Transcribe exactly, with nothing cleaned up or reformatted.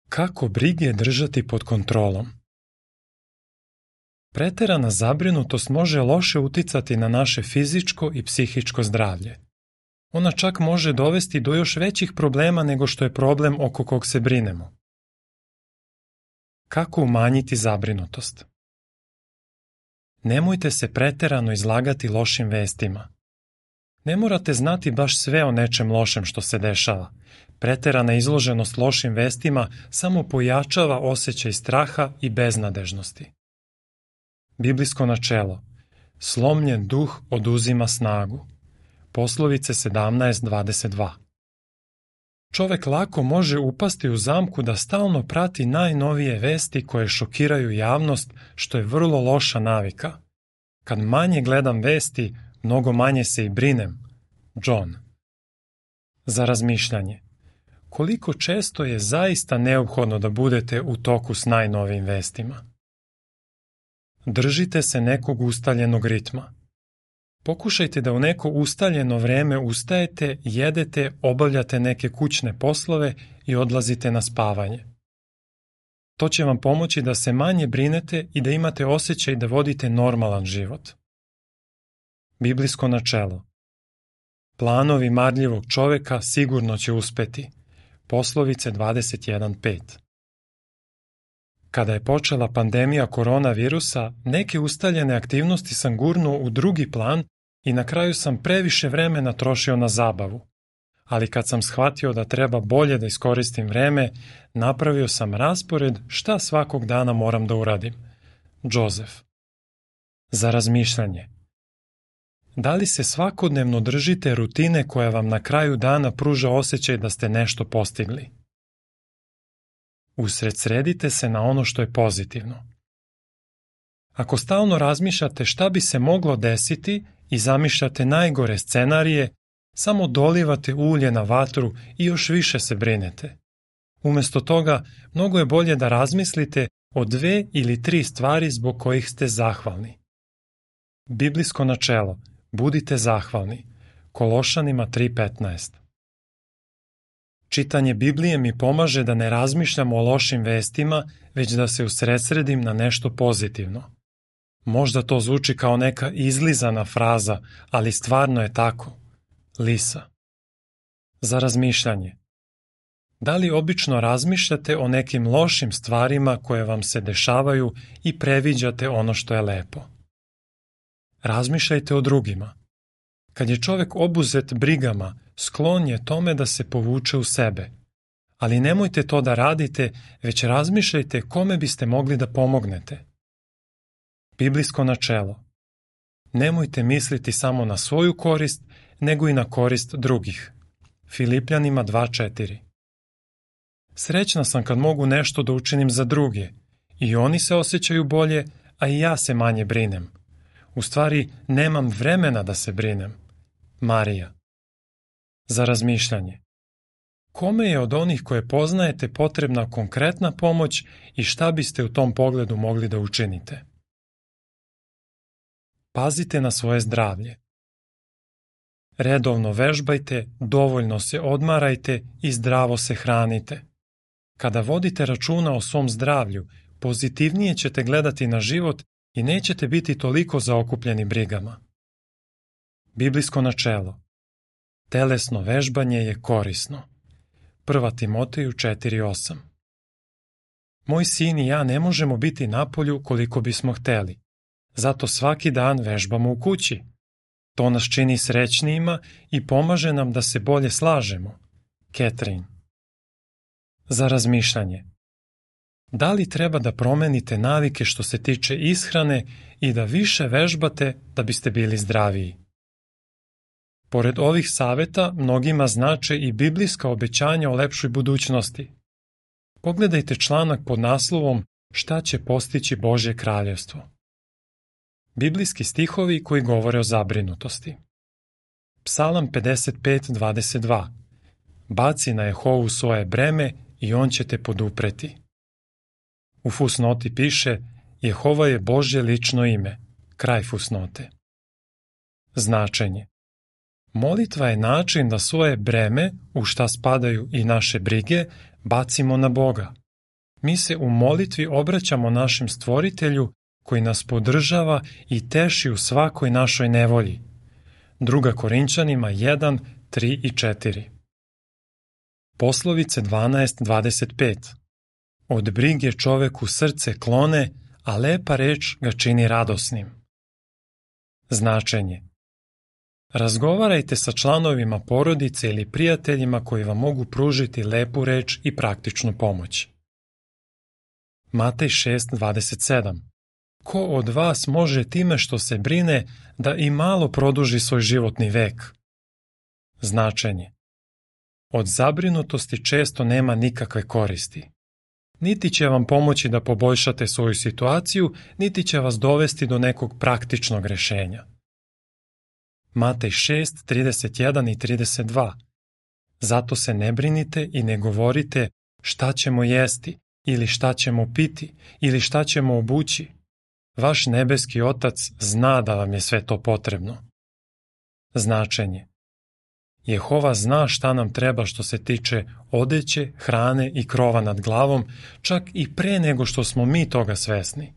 Kako brige držati pod kontrolom? Preterana zabrinutost može loše uticati na naše fizičko i psihičko zdravlje. Ona čak može dovesti do još većih problema nego što je problem oko kog se brinemo. Kako umanjiti zabrinutost? Nemojte se preterano izlagati lošim vestima. Ne morate znati baš sve o nečem lošem što se dešava. Preterana izloženost lošim vestima samo pojačava osjećaj straha i beznadežnosti. Biblijsko načelo: slomljen duh oduzima snagu. Poslovice sedamnaest dvadeset dva. Čovek lako može upasti u zamku da stalno prati najnovije vesti koje šokiraju javnost, što je vrlo loša navika. Kad manje gledam vesti, mnogo manje se i brinem. John. Za razmišljanje: koliko često je zaista neophodno da budete u toku s najnovijim vestima? Držite se nekog ustaljenog ritma. Pokušajte da u neko ustaljeno vreme ustajete, jedete, obavljate neke kućne poslove i odlazite na spavanje. To će vam pomoći da se manje brinete i da imate osjećaj da vodite normalan život. Biblijsko načelo: planovi marljivog čoveka sigurno će uspeti. Poslovice dvadeset jedan pet. Kada je počela pandemija koronavirusa, neke ustaljene aktivnosti sam gurnuo u drugi plan i na kraju sam previše vremena trošio na zabavu. Ali kad sam shvatio da treba bolje da iskoristim vreme, napravio sam raspored šta svakog dana moram da uradim. Joseph. Za razmišljanje: da li se svakodnevno držite rutine koja vam na kraju dana pruža osjećaj da ste nešto postigli? Usredsredite se na ono što je pozitivno. Ako stalno razmišljate šta bi se moglo desiti i zamišljate najgore scenarije, samo dolivate ulje na vatru i još više se brinete. Umesto toga, mnogo je bolje da razmislite o dve ili tri stvari zbog kojih ste zahvalni. Biblijsko načelo: budite zahvalni. Kološanima tri petnaest. Čitanje Biblije mi pomaže da ne razmišljam o lošim vestima, već da se usredsredim na nešto pozitivno. Možda to zvuči kao neka izlizana fraza, ali stvarno je tako. Lisa. Za razmišljanje: da li obično razmišljate o nekim lošim stvarima koje vam se dešavaju i previđate ono što je lepo? Razmišljajte o drugima. Kad je čovek obuzet brigama, sklon je tome da se povuče u sebe. Ali nemojte to da radite, već razmišljajte kome biste mogli da pomognete. Biblijsko načelo: nemojte misliti samo na svoju korist, nego i na korist drugih. Filipljanima dva četiri. Srećna sam kad mogu nešto da učinim za druge. I oni se osjećaju bolje, a i ja se manje brinem. U stvari, nemam vremena da se brinem. Marija. Za razmišljanje: kome je od onih koje poznajete potrebna konkretna pomoć i šta biste u tom pogledu mogli da učinite? Pazite na svoje zdravlje. Redovno vežbajte, dovoljno se odmarajte i zdravo se hranite. Kada vodite računa o svom zdravlju, pozitivnije ćete gledati na život i nećete biti toliko zaokupljeni brigama. Biblijsko načelo: telesno vežbanje je korisno. Prva Timoteju četiri osam. Moj sin i ja ne možemo biti napolju koliko bismo hteli. Zato svaki dan vežbamo u kući. To nas čini srećnijima i pomaže nam da se bolje slažemo. Catherine. Za razmišljanje: da li treba da promenite navike što se tiče ishrane i da više vežbate da biste bili zdraviji? Pored ovih saveta, mnogima znače i biblijska obećanja o lepšoj budućnosti. Pogledajte članak pod naslovom Šta će postići Božje kraljevstvo? Biblijski stihovi koji govore o zabrinutosti. Psalam pedeset pet dvadeset dva. Baci na Jehovu svoje breme i on će te podupreti. U fusnoti piše: Jehova je Božje lično ime. Kraj fusnote. Značenje: molitva je način da svoje breme, u šta spadaju i naše brige, bacimo na Boga. mi se u molitvi obraćamo našem Stvoritelju koji nas podržava i teši u svakoj našoj nevolji. Druga Korinčanima jedan, tri i četiri. Poslovice dvanaest dvadeset pet. Od brige čoveku srce klone, a lepa reč ga čini radosnim. Značenje. Razgovarajte sa članovima porodice ili prijateljima koji vam mogu pružiti lepu reč i praktičnu pomoć. Matej šest dvadeset sedam. Ko od vas može time što se brine da i malo produži svoj životni vek? Značenje. Od zabrinutosti često nema nikakve koristi. Niti će vam pomoći da poboljšate svoju situaciju, niti će vas dovesti do nekog praktičnog rešenja. Matej šest trideset jedan i trideset dva. Zato se ne brinite i ne govorite šta ćemo jesti, ili šta ćemo piti, ili šta ćemo obući. Vaš nebeski Otac zna da vam je sve to potrebno. Značenje. Jehova zna šta nam treba što se tiče odeće, hrane i krova nad glavom, čak i pre nego što smo mi toga svesni.